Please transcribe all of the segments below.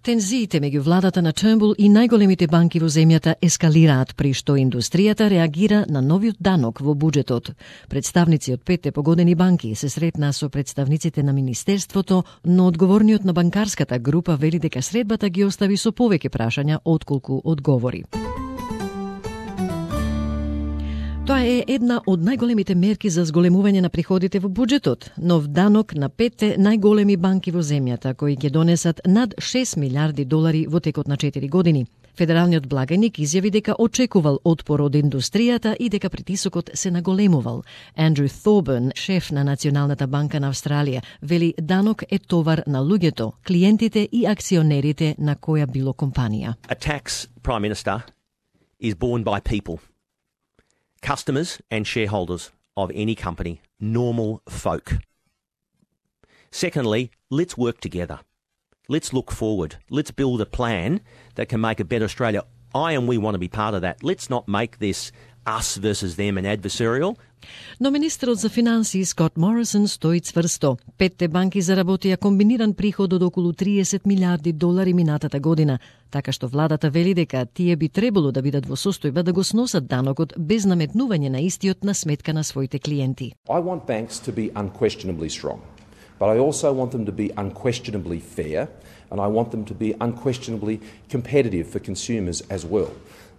Тензиите меѓу владата на Turnbull и најголемите банки во земјата ескалираат, при што индустријата реагира на новиот данок во буџетот. Представници од 5 погодени банки се сретнаа со представниците на Министерството, но одговорниот на банкарската група вели дека средбата ги остави со повеќе прашања отколку одговори. Тоа е една од најголемите мерки за зголемување на приходите во буџетот, нов данок на 5 најголеми банки во земјата, кои ќе донесат над 6 милиарди долари во текот на 4 години. Федералниот благајник изјави дека очекувал отпор од индустријата и дека притисокот се наголемувал. Андрю Thorburn, шеф на Националната банка на Австралија, вели данок е товар на луѓето, клиентите и акционерите на која било компанија. A tax, Prime Minister, is borne by people. Customers and shareholders of any company, normal folk. Secondly, let's work together. Let's look forward. Let's build a plan that can make a better Australia. I and we want to be part of that. Let's not make this us versus them and adversarial. Но министерот за финансии Скот Морисон стои цврсто. 5 банки заработија комбиниран приход од околу 30 милиарди долари минатата година, така што владата вели дека тие би требало да бидат во состојба да го сносат данокот без наметнување на истиот на сметка на своите клиенти. I want banks to be unquestionably strong, but I also want them to be unquestionably fair, and I want them to be unquestionably competitive for consumers as well.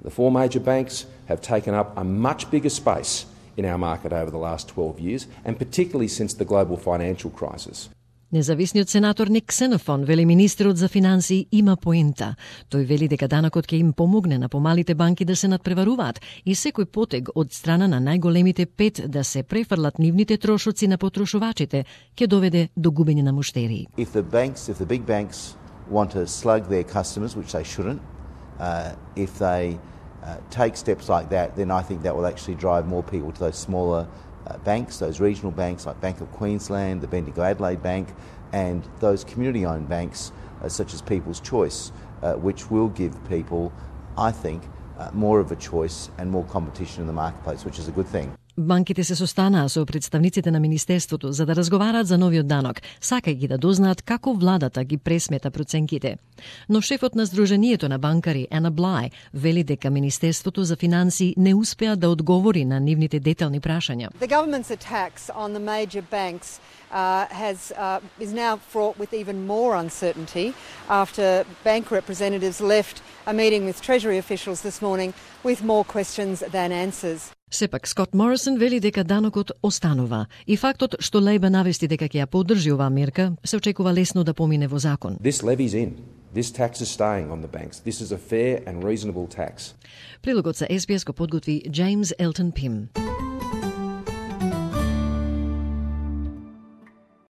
The 4 major banks have taken up a much bigger space in our market over the last 12 years, and particularly since the global financial crisis. Независниот сенатор Ник Ксенофон вели министерот за финансии има поента. Тој вели дека данокот ќе им помогне на помалите банки да се надпреваруваат и секој потег од страна на најголемите 5 да се префрлат нивните трошоци на потрошувачите ќе доведе до губење на муштерии. If the big banks want to slug their customers, which they shouldn't, if they take steps like that, then I think that will actually drive more people to those smaller banks, those regional banks like Bank of Queensland, the Bendigo Adelaide Bank, and those community-owned banks such as People's Choice, which will give people, I think, more of a choice and more competition in the marketplace, which is a good thing. Банките се состанаа со представниците на Министерството за да разговараат за новиот данок, сакајќи да дознаат како владата ги пресмета проценките. Но шефот на Сдруженијето на банкари, Ана Блај, вели дека Министерството за финансии не успеа да одговори на нивните детални прашања. The government's attacks on the major banks is now fraught with even more uncertainty after bank representatives left a meeting with Treasury officials this morning with more questions than answers. Сепак Скот Морисон вели дека данокот останува и фактот што Лејба навести дека ќе ја поддржи оваа мерка се очекува лесно да помине во закон. This levy's in. This tax is staying on the banks. This is a fair and reasonable tax. Прилогот за SBS го подготви James Elton Pym.